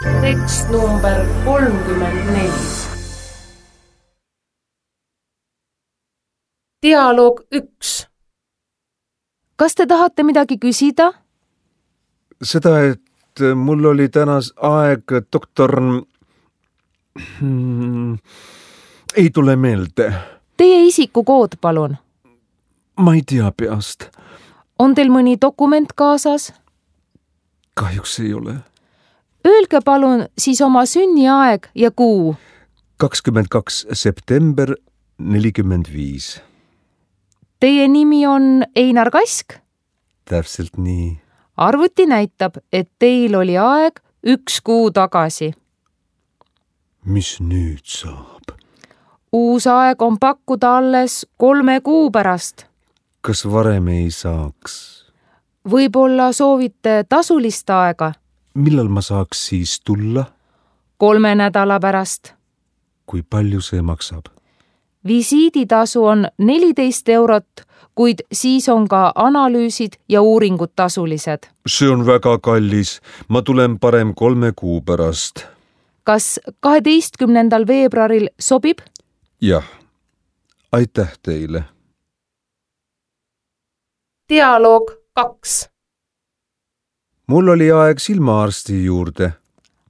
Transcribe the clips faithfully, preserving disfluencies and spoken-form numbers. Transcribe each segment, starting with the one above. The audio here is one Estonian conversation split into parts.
tekst number kolmkümmend neli. Dialoog üks. Kas te tahate midagi küsida? Seda, et mul oli tänas aeg doktor... Hmm, ei tule meelde. Teie isikukood, palun. Ma ei tea peast. On teil mõni dokument kaasas? Kahjuks ei ole. Öelge palun siis oma sünniaeg ja kuu. kakskümmend kaks september nelikümmend viis. Teie nimi on Einar Kask? Täpselt nii. Arvuti näitab, et teil oli aeg üks kuu tagasi. Mis nüüd saab? Uus aeg on pakkuda alles kolme kuu pärast. Kas varem ei saaks? Võib-olla soovite tasulist aega? Millal ma saaks siis tulla? Kolme nädala pärast. Kui palju see maksab? Visiiditasu on neliteist eurot, kuid siis on ka analüüsid ja uuringud tasulised. See on väga kallis. Ma tulen parem kolme kuu pärast. Kas kaheteistkümnendal veebruaril sobib? Jah. Aitäh teile. Dialoog kaks. Mul oli aeg silmaarsti juurde.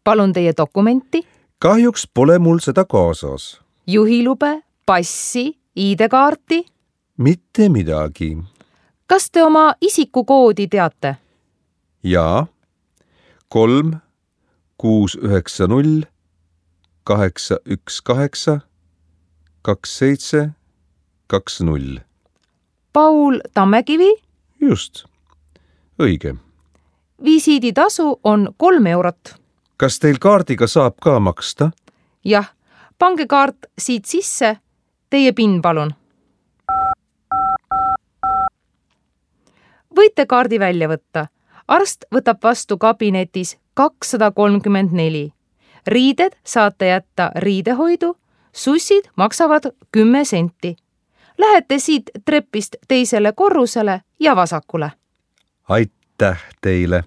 Palun teie dokumenti. Kahjuks pole mul seda kaasas. Juhilube, passi, I D-kaarti? Mitte midagi. Kas te oma isikukoodi teate? Jaa. Kolm, kuus, üheksa, null, kaheksa, üks, kaheksa, kaks, seitse, kaks, null. Paul Tammekivi? Just. Õige. Visiiditasu on kolm eurot. Kas teil kaardiga saab ka maksta? Jah, pange kaart siit sisse. Teie PIN palun. Võite kaardi välja võtta. Arst võtab vastu kabinetis kakssada kolmkümmend neli. Riided saate jätta riidehoidu, sussid maksavad kümme senti. Lähete siit trepist teisele korrusele ja vasakule. Aitäh teile!